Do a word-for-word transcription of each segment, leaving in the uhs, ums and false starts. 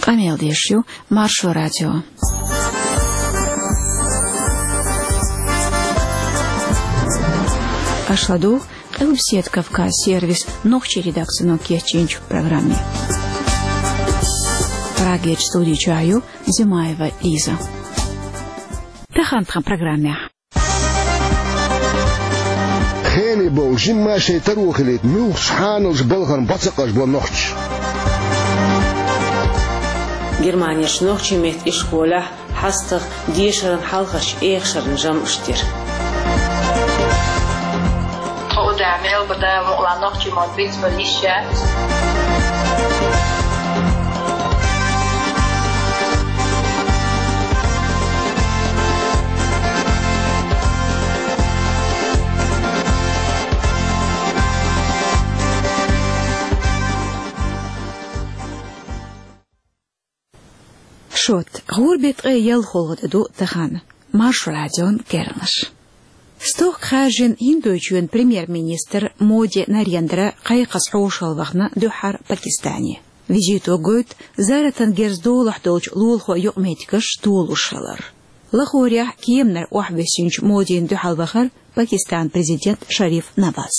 Къамел деш ю Маршо радио. Аша ладугӀу Къилбаседа Кавказ сервисан нохчийн редакцино кечйинчу программе. Прагерчу студи чохь ю Зимаева Лиза. Тахана тхан программехь. Хене бовла жимма шайн таро хилийта муьлххачу хьаналчу балхана бӀо ца къажбо нохчаша. Германерчу нохчийн меттан ишколехь хьастагӀа дешаран хьалхарчу эхашаран жамӀаш дира. Тхо у да мел бу да мукъла нохчийн мод бицбар йиш яц. Шот, гӀуран беттан ткъе ялхолгӀа де ду тахана. Маршо радион керланаш. Стохка хаьржина ХӀиндойчоьнан премьер-министр Моди Нарендра кхайкхаза хьошалла вахана дуьххьара Пакистане. Визито гойту, зарратан герз долахь долчу лулахойн юкъаметтигаш толуш хилар. Лахорехь кеманара охьавоьссинчу Модина дуьхьал вахара Пакистанан президент Шариф Наваз.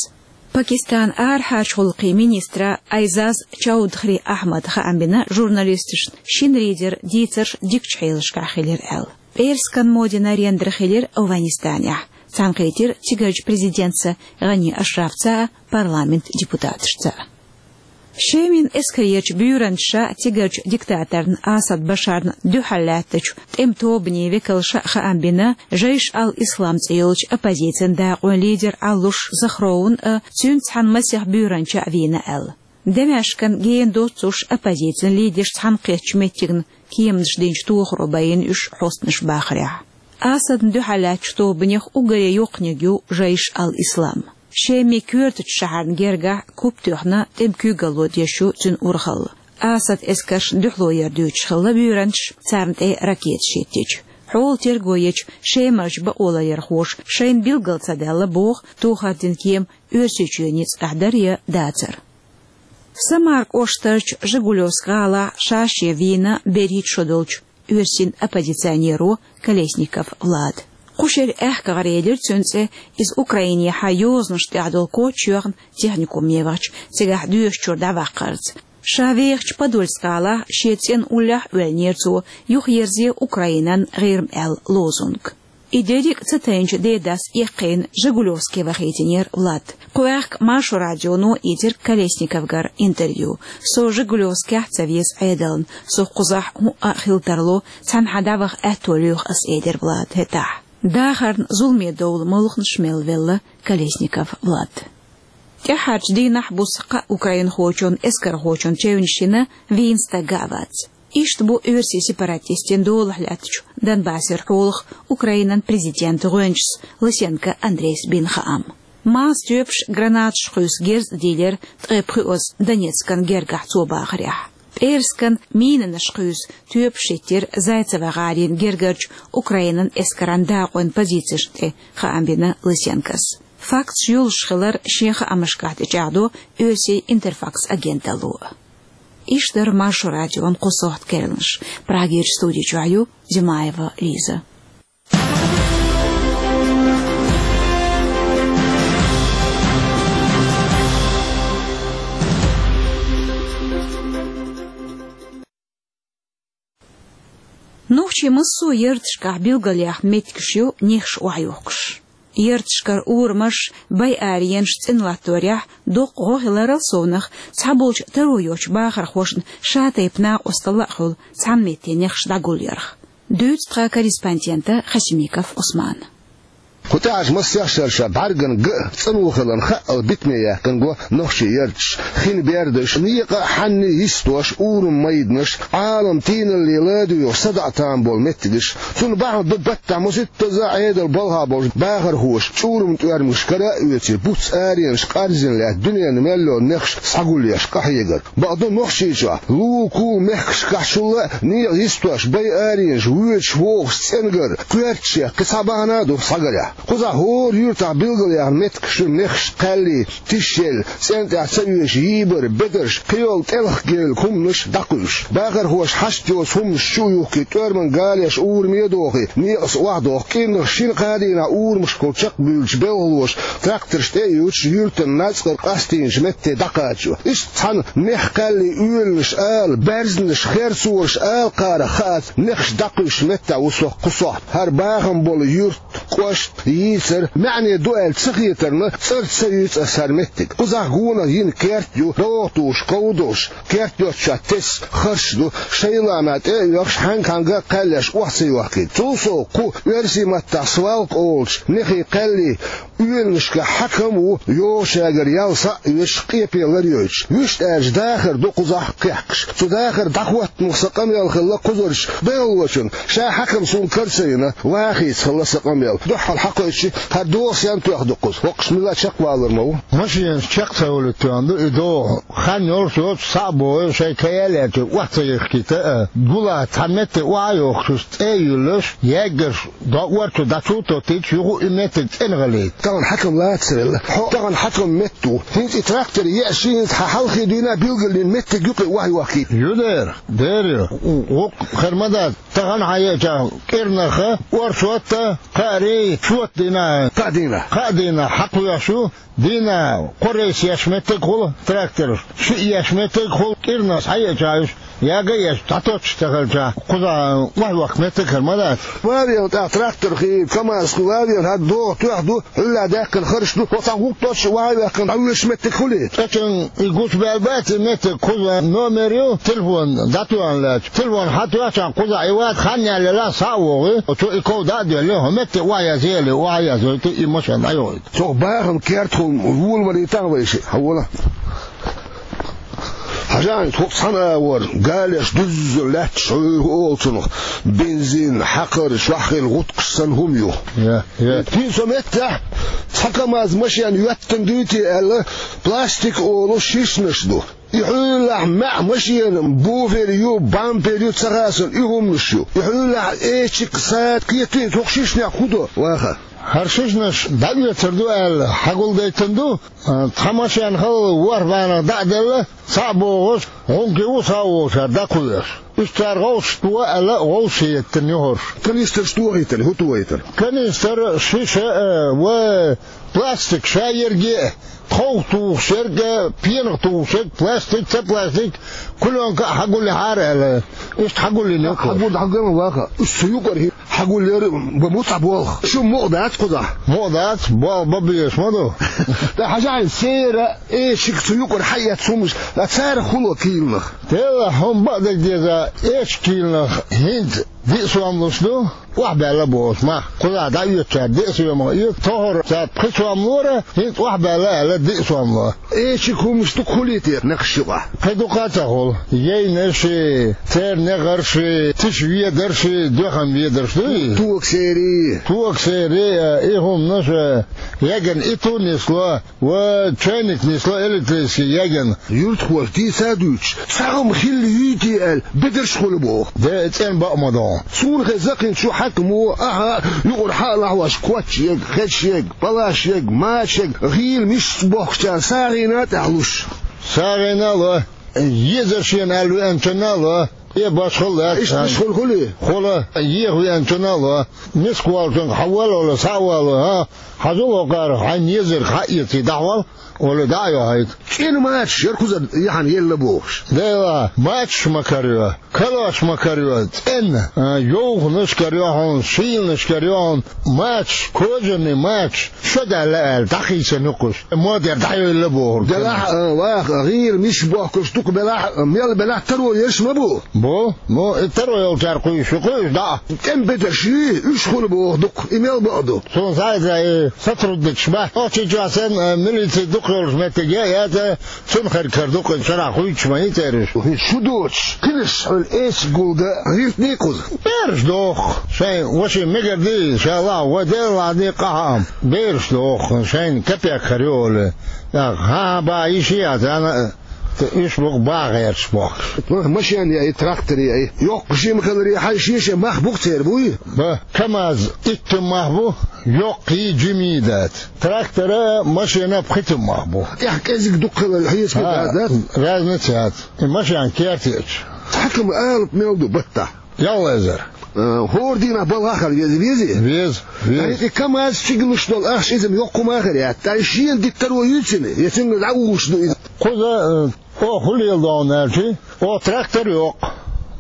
Пакистанан арахьарчу гӀуллакхийн министра Айзаз Чаудхри Ахьмада хаам бина журналисташна, шинарин дийцарш дикачу хьелашкахь хилира аьлла. ПӀераскан Моди Нарендра хилира Афганистанехь, цхьаьнакхийтира цигарчу президентца Гъани Ашрафца а, парламентан депутаташца а. Шеман эскарерчу буьйранчаша цигарчу диктаторна Асад Башарна дуьхьал лаьттачу тӀеман тобанийн векалша а хаам бина, Жайш ал-Ислам цӀе йолчу оппозицин дакъойн лидер Ӏалуш Захровна а, цуьнца цхьаьна масех буьйранча а вийна аьлла. Дамаскана гена доццуш оппозицин лидерш цхьаьнакхеттачу меттигна кеманаш динчу тохаро байина уьш хьостанаш бахарехь. Асадна дуьхьал лаьттачу тобанех уггаре йоккханиг ю Жайш ал-Ислам. Шеман коьртачу шахьарна гергахь куп тоьхна тӀеман куьйгалло деш ю цуьнан урхалла. Асадан эскаршна дуьхьало яр дуьйцуш хилла буьйранчаш, царна тӀе ракеташ хӀиттича. Хьолан терго ечу шемарчу бакъоларъярхоша шайна билгал ца даьлла боху тохар дина кема Оьрсийчоьнан ницкъехь дара я дацара. Самар кӀоштарчу Жигулевск гӀалахь ша-шен вийна берхӀитта шо долчу оьрсийн оппозиционеро Колесников Влада. Кху шеран аьхка гӀара элира цуьнан цӀе, иза Украинехьа йозанаш тӀехь долу коч йоьхна техникуме вахча, цигахь доьшучуьра дӀаваккхарца. Ша вехачу Подольск гӀалахь шен цӀенна уллехь а оьллинера цо: «Юхаерзе Украинан ГӀирма» аьлла лозунг. И дерриг а ца тайначу дедас эккхийна Жигулевске вахийтинера Влад. Кху аьхка Маршо радионо ийцира Колесниковгара интервью. «Со Жигулевскехь ца веза Ӏедална, со кхузахь хӀуъа а хила тарло, цхьанхьа дӀаваха аьтто лоьху ас», — элира Влада хӀетахь. Дахарна зуламе довла молханаш мел велла Колесников Влад. ТӀаьххьарчу дийнахь буса кхаа украинхочун эскархочун чевнаш йина вийна стаг а вац. Иштта бу оьрсийн сепаратистийн долахь лаьттачу Донбассера хьолах Украинан президентан гӀоьнчас Лысенко Андрейс бина хаам. Маса тоьпаш гранаташ кхуьйсу герз а дийлира ткъе пхоьазза Донецкан гергахь цо бахарехь. ПӀераскан минанаш кхуьйсу тоьпаш хӀиттира Зайцево гӀалин гергарчу Украинан эскаран дакъойн позицешна тӀе, хаам бина Лысенкос. Факташ йолуш хилар шен хаамашкахь тӀечӀагӀдо оьрсийн Интерфакс агенталло. Иштта дара Маршо радион кху сохьта керланаш. Прагерчу студи чохь ю Зимаева Лиза. Нохчийн массо а ярташкахь билгалъяьхна меттигаш ю нехаш охьайохкуш. Ярташкара урамаш, байаренаш цӀена латторехь, доккха гӀо хиларал совнах, цхьаболчу таро йоцучу бахархошна ша-тайпа накъосталла а хуьлу цхьана метте нехаш дӀагулъярх. Дуьйцу тхан корреспондента Хасимиков Ӏусмана. Кху тӀаьхьарчу массех шерашкахь бӀаьргана ган а, цӀано хиларна хаъал битаме яьккхина го нохчийн ярташ. Хин бердаш, некъа а, хьанна а йистош, урам майданаш, Ӏалам тийналле ладугӀуш садаӀа там болу меттигаш. Цунна бахьана ду баттахь масийттаза а Ӏедалан балхахь болчу бахархоша чӀуран тӀоьрмигаш кара а оьций, буц аренаш къарзина лаьтта дуьненан мел йолу нехаш схьагулъеш къахьегар. Бакъду, Нохчийчохь, лулахула мехкашкахь шулла а некъа йистош, байаренаш, воьдуш-вогӀуш цӀенгар, коьртачех кхин цхьа бахьана а ду схьагарехь. Кхузахь хӀора юьртахь билгалъяьхна меттигаш ю, мехаш кхаьллий, тишъелла, цӀен тӀехь ца оьшуш йийбар, бедарш, кхийолу тӀелхагевлла хӀуманаш дӀакхуьйсуш. Бахархоша хьашт йоцу хӀуманаш чу а юхкий, тӀоьрман галеш ураме а дохий, некъаца охьадоху, кӀирнах шина-кхаа дийнахь урамашкахула чекхбуьйлучу белхалоша тракторш тӀе а юьйцуш, юьртан нацкъара къастийначу метте дӀакхачо. Иштта цхьана мех кхаьллий оьланаш ала, баьрзанаш, херцонаш ала кхарах хаац, мехаш дӀакхуьйсуш меттехь ву со кху сохьта. ХӀара бахам болу юрт, кӀошт, йийцар, маьӀне ду аьлла ца хетарна, цӀарца ца юьйцу аса хӀара меттиг. Кхузахь гонах йина керт ю, догӀа тухуш, ков долуш, керт йоцчохь тесса харш ду, шайлама тӀе а оьхуш, хьаьнга-хьаьнга а кхаьллеш, охьа ца йохкийта. Цул сов кху оьрсийн маттахь свалка олучу мехий кхаьллий оьланашкахь хьаькам а ву, йогӀучаьргара ял схьа а оьцуш, къепе лар йойтуш. Вуьшта аьлча дахар ду кхузахь кхехкаш. Цу дахар дӀахӀоттамах сан къамел хилла кхузарчу белхалочун. Ша хьаькам суна кара ца йина, вахийца хилла сан къамел. Дуьххьал хьакхоьччи, хӀара догӀа сенна тоьхна ду кхуза? ХӀокхуш мила чекхвалар ма ву? Машенаш чекх ца хуьлуьйтуш тоьхна ду и догӀа. Хан йолуш йоцу, схьа а богӀий, шайн кая а лаьттий, охьа ца йихкийта а, гула цхьа метте охьа а йохкуш, цӀе а юьллуш, яггарш дӀа орцо дӀачу а тоттуьйтуш, юха а и меттиг цӀена гӀалийта. Тахана хьаькам лацарелла. Хьо тахана хьаькам метта ву. ХӀинца и трактор еъча, шен хьан хьалхе дуьйна билгалйина меттиг юкъе охьайохкийта. Ю дера, дера ю. ГӀуккха хир ма дац. Тахана хьан еъча кӀирнах орцотта, кхаарий, чот дина. Кхаа дина. Кхаа дина хьакхоьхьуш ю. Дийнахь кхо рейс еш меттиг хуьлу трактораш, шиъ еш меттиг хуьлу кӀирнах схьаеъча уьш, яга а еш, дӀатоттуш ца хилча, кхузахь охьайохка меттиг хир ма дац. Ван а веана тӀаккха трактор хи, КамАЗ хи, ван а веана хӀара догӀа тоьхна ду, хьуьлла даьккхина харш ду, хӀокху цхьаъ гӀуллакх доцуш охьайоьхкина дӀавоьдуш меттиг хуьлий? ЦӀечун и гучубаьлла бац и меттиг, кхуза номер ю, телефон дӀатоьхна лаьтташ. Телефон хьан тоьхчахь кхузахь и вац, хан яьлла схьа а вогӀий, цо и ков дӀа а доьллий, хӀокху метте охьаязъе аьлла, охьаязйойту, и машен дӀайохуьйту. Цо бахам керт хӀума волавалийта вай шиъ, хьан вола? Хьажахьа, хӀокху цхьана агӀор, галеш дуьззина лаьтташ хьуьйху олу цунах, бензин, хьакхар, чохь хилла гӀутакхаш санна хӀума ю. Я, я. ХӀинца цу меттехь цхьа КамАЗ машен йоьттина дуй те аьлла, пластик олу шишнаш ду. И хьуьллахь маьӀ машенан буфер ю, бампер ю, ца хасана и хӀуманаш ю. И хьуьллахь эчиг, сад кхетий, цу шишнех хӀун до, ваха? ХӀара шишнаш дӀаоьцур ду аьлла, хьагулдайтина ду, а, цхьа машен хала ворхӀ бӀеннах дӀа а делла, схьа а богӀуш, гӀункий ву схьа а вогӀуш, хӀара дӀакхуьуш. Уьш цара гӀовшашка туху аьлла, гӀовшаш хӀиттина ю хӀорш. Канистраш тухийтина, хӀун тухийтина? Канистр, шиша, а, ва пластик ша ерриге а, тховх тухуш ерг а, пенах тухуш ерг, пластик, ца пластик, кулёнка а хьагулъяхьара аьлла. Иштта хьагулйина ю кхуза. Хьагулъяхьа ган ваха. Уьш цу юкъара хӀи-, хьагулъяр бан бу цхьа болх. Шу мукъа дац кхузахь? Мукъа дац, болх бан безаш ма ду. ТӀаккха хьажахьа, сера, эчиг цу юкъара хьаэцна хӀуманаш, ткъа царах хуьлу кийланах? Делахь, хӀума бакъдерг деза, эчиг кийланах хӀинца диъ сом луш ду, охьабаьлла бохуш, мах. Кхузахь дӀаоьцучара диъ сом оьцу, тохара цара пхи сом лора, хӀинца охьабаьлла аьлла диъ сом ло. Эчиг хӀуманаш ду-кх хуьлий те нехаш юкъахь? Кхин дукха а ца хуьлу. Яйнаш, церан негӀарш, тиша ведарш, доьхам ведарш дуй? Тога сери. Тога сери, и хӀуманаш, яган итт нисло, ва чайник нисло электрический яган. Юьртахоша дийца а дуьйцуш, цхьа хӀума хилла юй те аьлла, бедарш хуьлу боху. Де, цӀена бакъ ма ду. Суна хеза кхин чу хьаькамо, ахьа, юкъара хьа а лахьош, коч ерг, хезаш ерг, палаш ерг, мачаш ерг, гӀийла мишца бохкучарна сагӀина а тӀехь луш. СагӀина а ло, езар шена аьлла веанчунна а ло. Э, башхалла. Иштта миш хуьлу хуьлий? Хуьлу, еха веанчунна а ло. Миска волчуьнга хьан вала вала, схьа а вала, хӀа? Хьажал хӀокхара, хьайна езарг хьаэций, дӀахьол, олий, дӀа а йохьуьйту. ЦӀена мачаш яра кхузара яхьана елла бохуш. Делахь, мачаш ма карайо, калош ма карайо, цӀена, а, йовханаш карайо хьуна, шийланаш карайо хьуна, мачаш, кожаный мачаш, шо даьлла аьлла, дӀахийсина ю кхуш. Модера дӀайойла бохург. Делахь, а, ваха, гӀийла миш бохкуш дукха белахь, мел белахь таро ерш ма бу? Бу, ну, и таро йолчара кхуьйсуш ю кхуьйсуш дӀа. ТӀеман бедарш юй, уьш хуьлу боху дукха, и мел бакъ ду? Суна схьаэца и сотрудникаш бац. Очи чохь санна, э, милици дукха йолуш меттиг я, яца, цунна херг хир ду-кх, и шарахь хуьйцуш ма ю церан уьш. ХӀинца шу доцуш, кхинаш хьуьлла эчиг гулдан гӀиртний кхуза? Бераш доху, шайн ваши мегар дий, ша лахь, вай Дела лахь дий къахьа ам. Бераш доху, шайна капек хир ю олий. ТӀаккха, хьан-хьан бан йиш яц, ана, Иштта бу баха гӀерташ бохкаш. Машен яй, трактор яй, йоккха-жима хиларе хьаьший шен мах бу-кх церан, буй? Ба, КамАЗ иттан мах бу, йоккхий, жимий дац. Трактора, машена пхийтта мах бу. ТӀехь кӀезиг дукха хилар хьесапе дац, дац? Разница яц. И машен керта еча. Хьакам алапа мел ду баттахь? Ялх эзар. Э, хӀора дийнахь балхахь хила веза, везий? Веза, веза. ТӀаккха и КамАЗ чу гулуш долу ахча иза йоккха ма хир яц. ТӀаккха шена диттаро юй цуьнан, я цуьнга дӀавугӀуш ду иза? Кхуза, э, оха хӀун леладо аьлча, оха трактор йоккху,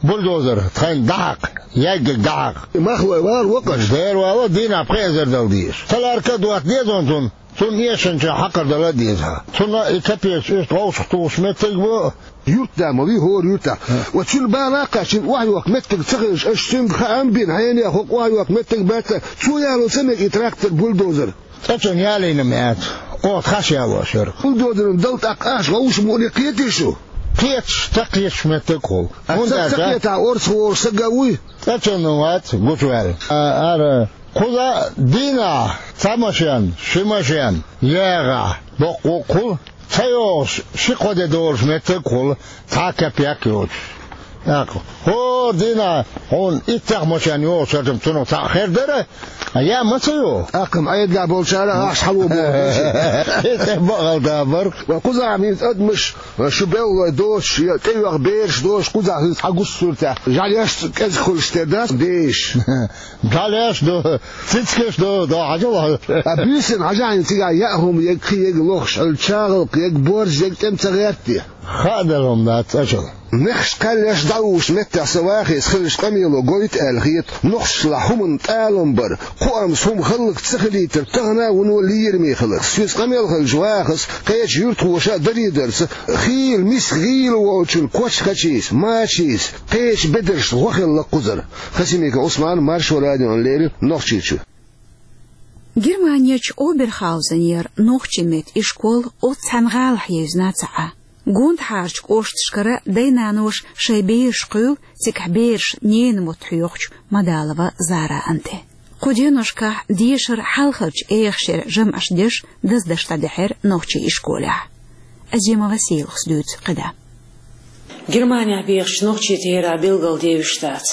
бульдозер, тхайна дӀахьакха, яггиг дӀахьакха. И махлой вала воккхаш? Дера вала, дийнахь пхи эзар дала дезаш. Таларка а дотта деза цунна. Цунна эшначу хьакхар дала а деза. Цунна и капекаш иштта вовшах тухуш меттиг бу. Юрт да ма вий хӀора юьртахь. Ва цуьнан бала кхаьчна охьайохка меттиг ца хилча, аша цуьнга хаам бина, хьенех хӀокху охьайохка меттиг бац, цо яло ца мега и трактор, бульдозер? ЦӀа чу ялийна ма яц. Оха тхаьш ялош яра. Бульдозерна дала тӀаккха ахча вовшах мукъане кхетий шу? Кхеташ, ца кхеташ меттиг хуьлу. А хӀунда ца, ца аьлча кхетахь, орцах волуш саг а вуй? ЦӀа чу вац, гучуваьлла. А, ара, кхуза дийнахь цхьа машен, ши машен, ягӀахь, боккха вукхул, ца йогӀуш, ши-кхо де долуш меттиг хуьлу, цхьа а капек йоцуш. ТӀаккха хӀора дийнахь хьуна иттех машен йогӀуш хилча-м, цунах цхьаъ хир дара, а я ма ца йогӀу. ТӀаккха-м Ӏедалехь болчара ахча хьало боху. ТӀе бакъал да бара. Ва кхузахь-м хӀинца адамаш, шу беллалой доцуш, я тӀейоьхна бераш доцуш, кхузахь хӀинца хьан гуш суьртехь, жӀаьлеш кӀезиг хуьлуш тера дац, деш. ЖӀаьлеш ду, цицкаш ду, до хьажал. А буьйсанна хьажахьа цигахь яа хӀума, ег кхин ег лохуш, хьал чагӀалкх, ег борз, ег тӀем ца гӀерта те? Хаа дала хӀума дац цӀа чу. Нехаш кхаьллеш дӀавуьгуш меттехь со вахийса хиларчу къамело гойту аьлла хета, нохчашлахь хӀуманна тӀалам бар, кхоамца хӀума хӀаллакьца ца хилийтар тахана а вуно лераме хилар. Соьца къамел хилча вахаза, кхечу юьртахоша а дарийдарца, хийла миска гӀийла волчун кочхачийца, мачийца, кхечу бедаршна гӀо хилла кхузара. Хасимиков Ӏусман, Маршо радиона леррина, Нохчийчуьра. Германерчу Оберхаузенера нохчийн меттан ишкол оццу цхьана гӀалахь евзина ца Ӏа. Гондахьарчу кӀошташкара дай-наноша шайн бераш кхуьйла, цигахь бераш ненан мотт хьоьхучу Мадалова Заран тӀе. Кху деношкахь дешар хьалхарчу эха шеран жамӀаш деш, даздеш дӀадаьхьира нохчийн ишколехь. Азимова Селахас дуьйцу кхидӀа. Германехь бехачу нохчийн терахь билгалдевзаш дац.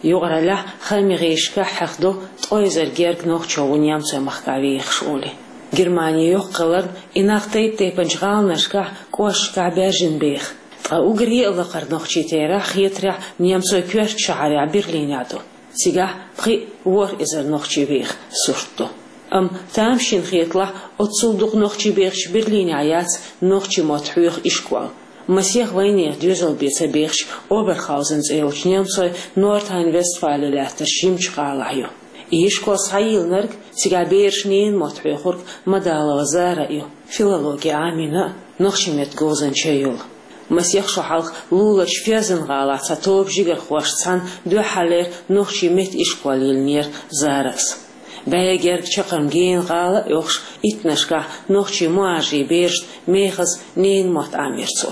Юкъараллехь хаамийн гӀирсашкахь хьахдо ткъа эзар герга нохчо ву немцойн махкахь вехаш олий. Германи йоккха хиларна, и нах тайп-тайпанчу гӀаланашкахь, кӀошташкахь баьржина беха. Ткъа уггаре а лакхара нохчийн терахь, хетарехь, немцойн коьртачу шахьарехь Берлинехь ду. Цигахь пхи а ворхӀ эзар нохчи веха сурт ду. Амма тамашийна хеталахь, оццул дукха нохчи бехачу Берлинехь яц нохчийн мотт хьоьху ишкол. Масех вайнехан доьзал бен ца бехачу Оберхаузен цӀе йолчу немцойн Норд-Райн-Вестфали лаьттарчу жимачу гӀалахь ю. И ишкол схьайиллинарг, цигахь бераш ненан мотт хьоьхург Мадалова Зара а ю, филологи Ӏамийна а, нохчийн меттан говзанча а йолу. Масех шо хьалха луларчу Ферзен-гӀалахь цхьа тоба жигархошца цхьаьна дуьххьарлера нохчийн меттан ишкол йиллинера Зарас. БӀе герга чаккхарма гена гӀала а йохуш, иттаннашкахь нохчийн мухӀажарийн берашна мехаза ненан мотт Ӏамийра цо.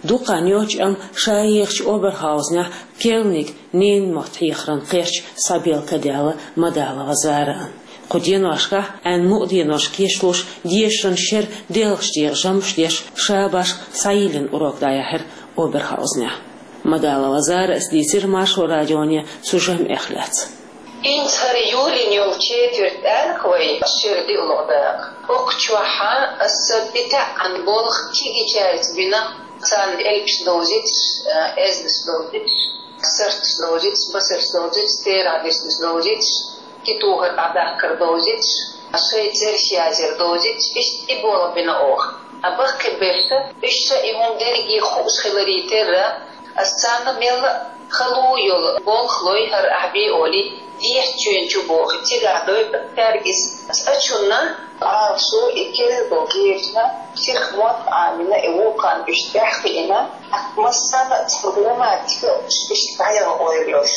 Дукха хан йоццуш, амма ша ехачу Оберхаузенехь керланиг ненан мотт хьехаран кхерч схьабелла ка даьлла Мадалова Зарана. Кху деношкахь, Ӏаьнан мукъа денош кечлуш, дешаран шеран делхачу декъе жамӀаш деш, ша башха схьайиллина урок дӀаяьхьира Оберхаузенехь. Мадалова Зарас дийцира Маршо радионе цу жамӀех лаьцна. ХӀинца хӀара юьйлина йолу четверть аьлла-кх вай, шира диълагӀа дакъа. ХӀокху чохь аса дитаьӀан болх кегийчаьрца бина, царна элпаш довзуьйтуш, эзнаш довзуьйтуш, сарташ довзуьйтуш, басарш довзуьйтуш, терахь дешнаш довзуьйтуш, китухар дӀадахкар довзуьйтуш, шайн цераш язъяр довзуьйтуш, иштта и болх бина оха. Ткъа баккхий берш, уьш ша и хӀума дерриге хууш хиларе терра, аса царна мелла а хала йолу болх лой хӀара ахь бен олий, дехьа чоьнчу боху, цигахь дойу цаьрга иза. Аса ачунна Ӏалашо и керла болу герзна, психмотт Ӏамийна, и вулкан уьш тӀаьхьа хиъна, массарна а цхьа грамматика уьш иштта дӀаяла ойла йолуш.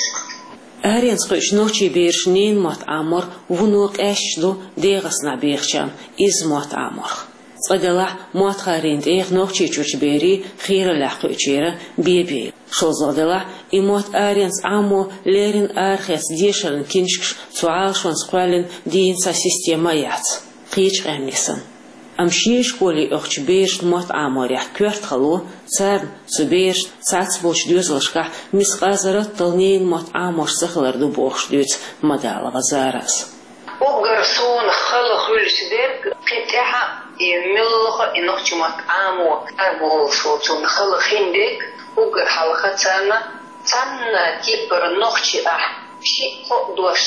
Аренца кхуьучу нохчийн берашна ненан мотт Ӏамор вуно къаьсташ ду ДегӀастанахь бехачарна изза мотт Ӏаморх. Цкъа делахь, мотт хӀарийна тӀех Нохчийчуьрчу берийн хийраллехь кхуьучеран бен-бен. ШолгӀа делахь, и мотт аренца Ӏамо леррина арахеца дешаран киншкаш цу Ӏалашонца кхоьллина дийна цхьа система а яц, кхечу къаьмнийн санна. Амма шен школе оьхучу берашна мотт Ӏаморехь коьрта хало, царна, цу берашна цхьацца болчу доьзалшкахь мискъазарратал ненан мотт Ӏамош ца хилар ду бохуш дуьйцу Мадалова Зарас. Уггар суна хала хуьлуш дерг кхин тӀаьхьа и муьлхха а и нохчийн мотт Ӏамо ара бохуш волчунна хала хин дерг, уггар хьалха царна цхьанна кепара нохчи ахь, шиъ-кхоъ дош,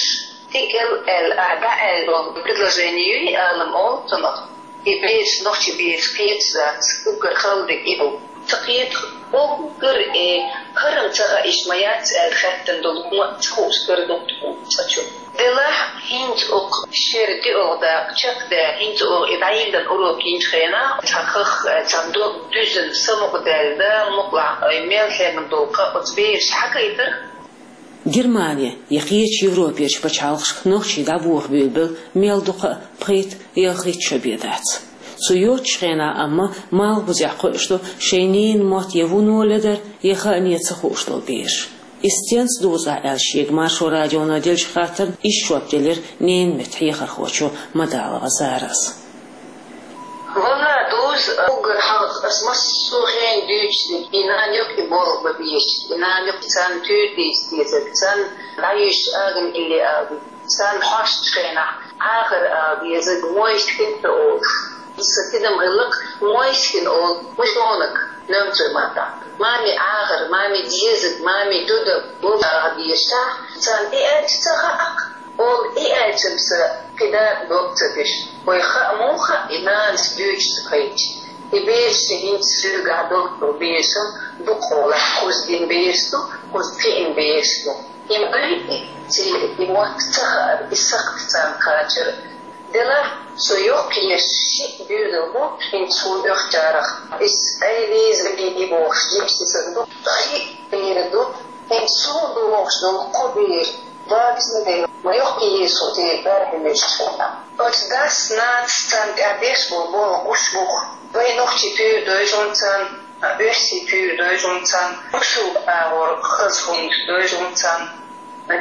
стигал аьлла ахь дӀааьлла долу предложени юй алам олу цунах. И бераш, нохчийн бераш кхеташ дац, уггар хала дерг и ду. Ца кхеташ уггар и хӀара ца хаьа, иштта ма яц аьлла хаьттина долу хӀума ца хууш дара дукха цкъачунна. Делахь, хӀинца оха шера диъалгӀа дакъа чекхдаьлла, хӀинца оха и дӀайиллина урок йинчу хенахь, цхьа хах, цхьа дог дуьзна самукъадаьлла, Дала мукъалахь, ой, мел хьегна долу кхаъ оцу бераша хьагайтара. Германе я кхечу Европерчу пачхьалкхашка нохчий дӀабохабуьйлабелла мел дукха а пхийтта-ялхитта шо бен дац. Цу йоцчу хенахь амма малхбузехь кхуьуш ду шайн ненан мотт я вуно ледара, я хаане ца хууш долу бераш. Иза стенца дузу ахь аьлла шега Маршо радионо деллачу хаттарна иштта жоп делира ненан меттан хьехархочо Мадалова Зарас. Валла, дузу, уггар хьалха ас массо а хенахь дуьйцуш дерг, и нана юкъа и болх бан безаш, и нана юкъа царна туьйра дийца дезарг, царна дӀайуьйсуш агӀан илли ала дезарг, царна хьоштучу хенахь Ӏахар ала дезарг, мойшка хин ца олуш. Иза сан тидам хилла-кх, мойшка хин олу мужонок, немцойн маттахь. Мами Ӏахар, мами дезаг, мами дуда, боху ала дезаш, царна и аьлча ца хаьа-кх. Ола и аьлча-м сан кхидӀа дог ца деш, вай хаа муха хаьа и нанас дуьйцуш ца хилча. И бераш шен хӀинца суьйригахь долу бераш-м ду кхолахь, кхуза дина бераш ду, кхуза кхиъна бераш ду. И ма-, и церан и мотт ца хаар, и сакхт царна кхачар. Делахь, со йоккхаеш шиъ доьзал бу, хӀинца суна оьхучарах. Иза Ӏелиза, Лиди бохуш, жимчтесаг ду, шиъ бер ду, хӀинца суна догӀуш долу кхо бер. Вагзина дела, ма йоккхаеш со церан бӀаьрхьа муьжуш хилла. Оцу дас-нанас царна тӀехь беш болу болх гуш бу-кх. Вай нохчий туьйра дойжу-м царна, оьрсий туьйра дойжу-м царна, бусулба агӀор хаза хӀума дойжу-м царна,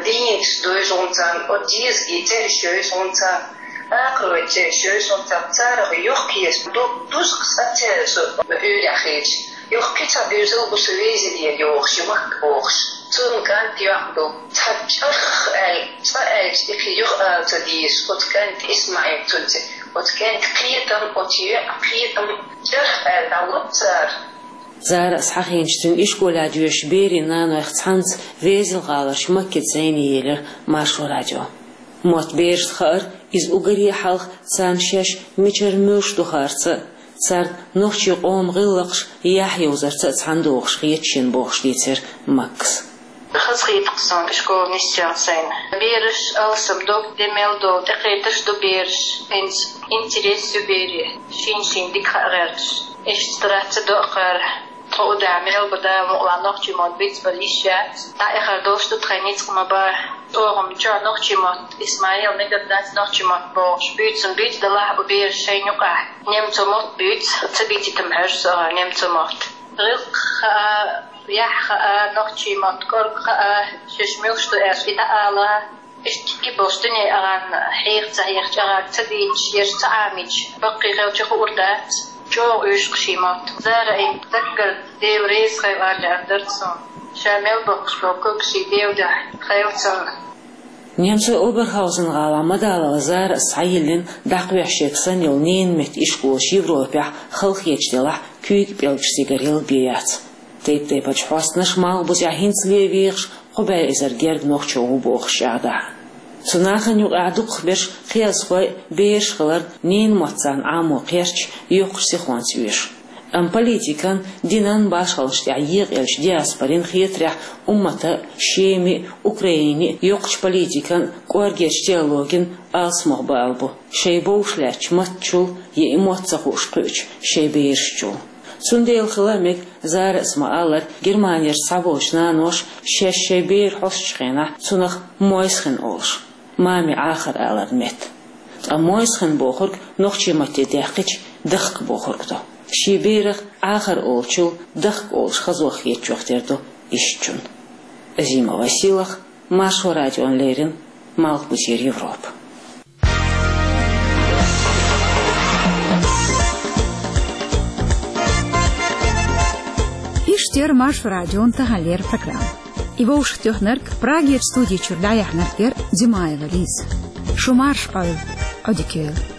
динца дойжу-м царна, оцу дезаган цӀераш йойжу-м царна, акхаройн цӀераш йойжу-м царна, царах йоккхаеш ду-, дуза-кх ас церан со уьйрехь хилча. Юха кхин цхьа доьзал бу со везинера йогӀуш, и махка бохуш. Цунна кӀант, йоӀ ду. Цхьа чӀарх аьлла, цкъа аьлча, и кхин юха ала ца дезаш, оцу кӀанта ИсмаӀил цунца, оцу кӀанта кхетам, оцу йоӀа кхетам, чӀарх аьлла дӀалур цара. Зарас хьахийначу цуьнан ишколехь доьшучу берийн нанойх цхьаьнца Везан-ГӀаларчу Маккица зӀене елира Маршо радио. Мотт берашна хаар, иза уггаре а хьалха царна шаьш мичара муьлш ду хаарца а, царна нохчийн къоман гӀиллакхаш яхь йовзарца а цхьаьна догӀуш хета шена бохуш дийцира Маккас. Хазахетар-кх суна ишкол нисъян сайна. Бераш алсам дог де мел долу, тӀекхеташ ду бераш. ХӀинца интерес ю берийн, шен-шен дика хаа гӀерташ. Иштта дац ца доӀа кхара. Тхо удахь мел бу Дала мукъалахь нохчийн мотт бицбар йиш яц. ДӀаэхар долуш ду тхайн ницкъ ма бан. ЧӀогӀа-м чохь нохчийн мотт, Исмаил, мегар дац нохчийн мотт бохуш, буьйцу-м буьйцу, делахь а бу бераш шайна юкъахь. Немцойн мотт буьйцу, ца бийцийтам хьожу со ахьа немцойн мотт. ГӀиллакх хаа, яхь хаа, нохчийн мотт кӀорга хаа, шаьш муьлш ду аьлча и дӀаала. Иштта и болуш дуьне агӀан хьеха ца хьехча, агӀаг ца дийцча, ерш ца Ӏамийча, баккхий хилча хуур дац. ЧӀогӀа уьйш-кх шен мотт. Зара, и даггара Дела реза хила аьлла аьлла дара цунна. Ша мел боккхуш болу куьг шен Делан дуьхьа хила цунна. Немцойн Оберхаузен-гӀалахь Мадалова Зарас схьайиллина дӀакхоьхьуш ерг санна йолу ненан меттан ишколаш Европехь халахеташ делахь, куьйга пӀелгаш цигара яла бен яц. Тайп-тайпанчу хьостанаша малхбузехь хӀинцале вехаш кхо бӀе эзар гергга нохчо ву бохуш чӀагӀдахь. Цу нахана юкъахь дукхахберш кхиазхой а, бераш а хиларна, ненан мотт царна Ӏамо кхерч, йоккхачу сихонца оьшу. Амма политикан, динан башхаллаш тӀехь екъаеллачу диаспорин хетарехь, уммата а, Шеми а, Украине а йоккхачу политикан, кӀоргерчу теологин алсамох бала бу, шайн бовш лаьттачу маттачул я и мотт ца хууш кхуьучу шайн берашчул. Цундела хила а мега, Зарас ма-аллара, Германерчу цхьаболчу наноша шаьш шайн бер хьостучу хенахь цунах мойсхин олуш, мами Ӏахар аларна метта. Ткъа мойсхин бохург нохчийн матте даьккхича, дахка бохург ду. Шен берах Ӏахар олучул дахка олуш хазох хетачух тера ду ишттачунна. Азимова Силах, Маршо радиона леррина, Малхбузера Европа. яр Маршо радион тахан леррина программа. И вовшахтоьхнарг, Прагера студи чура дӀаяьхьнарг яр Димаева Лиза. Шу марша Ӏойла, Ӏодика йойла.